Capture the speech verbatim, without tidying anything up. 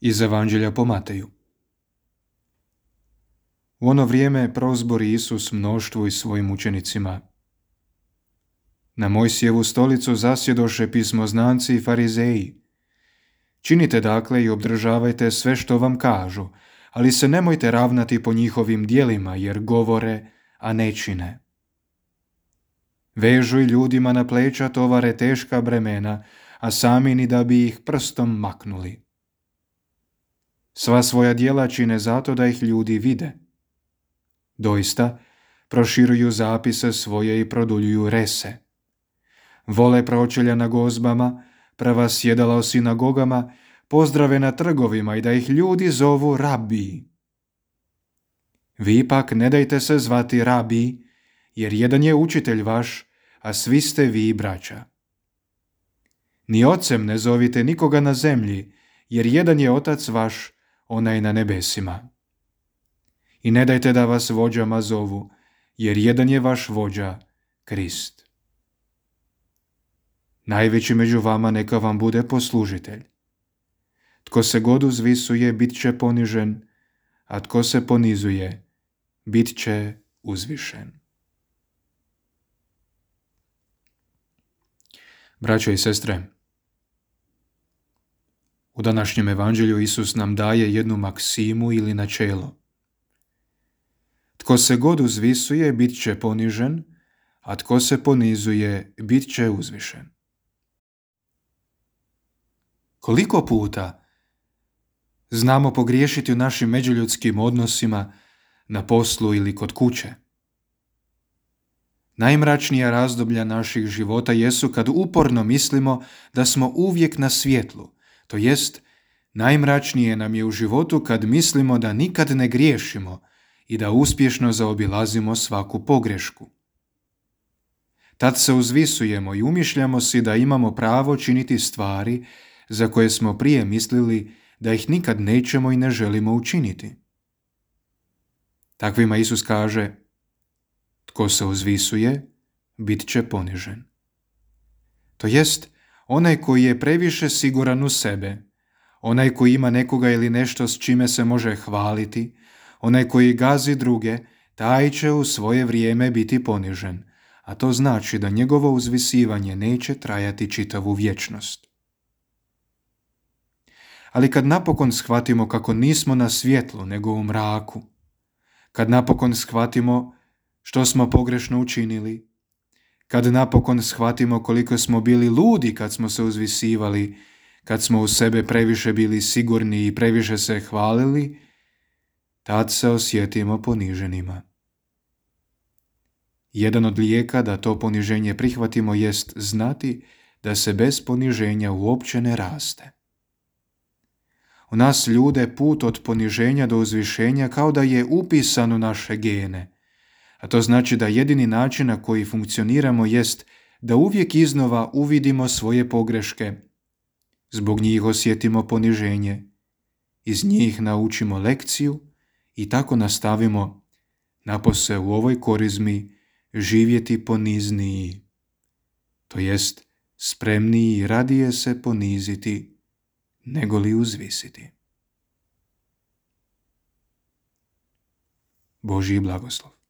Iz Evanđelja po Mateju. U ono vrijeme prozbori Isus mnoštvu i svojim učenicima. Na Mojsijevu stolicu zasjedoše pismoznanci i farizeji. Činite dakle i obdržavajte sve što vam kažu, ali se nemojte ravnati po njihovim djelima, jer govore, a ne čine. Vežu i ljudima na pleća tovare teška bremena, a sami ni da bi ih prstom maknuli. Sva svoja djela čine zato da ih ljudi vide. Doista, proširuju zapise svoje i produljuju rese. Vole pročelja na gozbama, prva sjedala u sinagogama, pozdrave na trgovima i da ih ljudi zovu rabi. Vi pak ne dajte se zvati rabi, jer jedan je učitelj vaš, a svi ste vi braća. Ni ocem ne zovite nikoga na zemlji, jer jedan je otac vaš, onaj na nebesima. I ne dajte da vas vođama zovu, jer jedan je vaš vođa, Krist. Najveći među vama neka vam bude poslužitelj. Tko se god uzvisuje, bit će ponižen, a tko se ponizuje, bit će uzvišen. Braćo i sestre, u današnjem evanđelju Isus nam daje jednu maksimu ili načelo. Tko se god uzvisuje, bit će ponižen, a tko se ponizuje, bit će uzvišen. Koliko puta znamo pogriješiti u našim međuljudskim odnosima, na poslu ili kod kuće? Najmračnija razdoblja naših života jesu kad uporno mislimo da smo uvijek na svjetlu, to jest najmračnije nam je u životu kad mislimo da nikad ne griješimo i da uspješno zaobilazimo svaku pogrešku. Tad se uzvisujemo i umišljamo si da imamo pravo činiti stvari za koje smo prije mislili da ih nikad nećemo i ne želimo učiniti. Takvima Isus kaže: tko se uzvisuje, bit će ponižen. To jest, onaj koji je previše siguran u sebe, onaj koji ima nekoga ili nešto s čime se može hvaliti, onaj koji gazi druge, taj će u svoje vrijeme biti ponižen, a to znači da njegovo uzvisivanje neće trajati čitavu vječnost. Ali kad napokon shvatimo kako nismo na svjetlu nego u mraku, kad napokon shvatimo što smo pogrešno učinili, kad napokon shvatimo koliko smo bili ludi kad smo se uzvisivali, kad smo u sebe previše bili sigurni i previše se hvalili, tad se osjetimo poniženima. Jedan od lijeka da to poniženje prihvatimo jest znati da se bez poniženja uopće ne raste. U nas ljude put od poniženja do uzvišenja kao da je upisan u naše gene, a to znači da jedini način na koji funkcioniramo jest da uvijek iznova uvidimo svoje pogreške, zbog njih osjetimo poniženje, iz njih naučimo lekciju i tako nastavimo napose u ovoj korizmi živjeti ponizniji, to jest spremniji i radije se poniziti nego li uzvisiti. Božji blagoslov.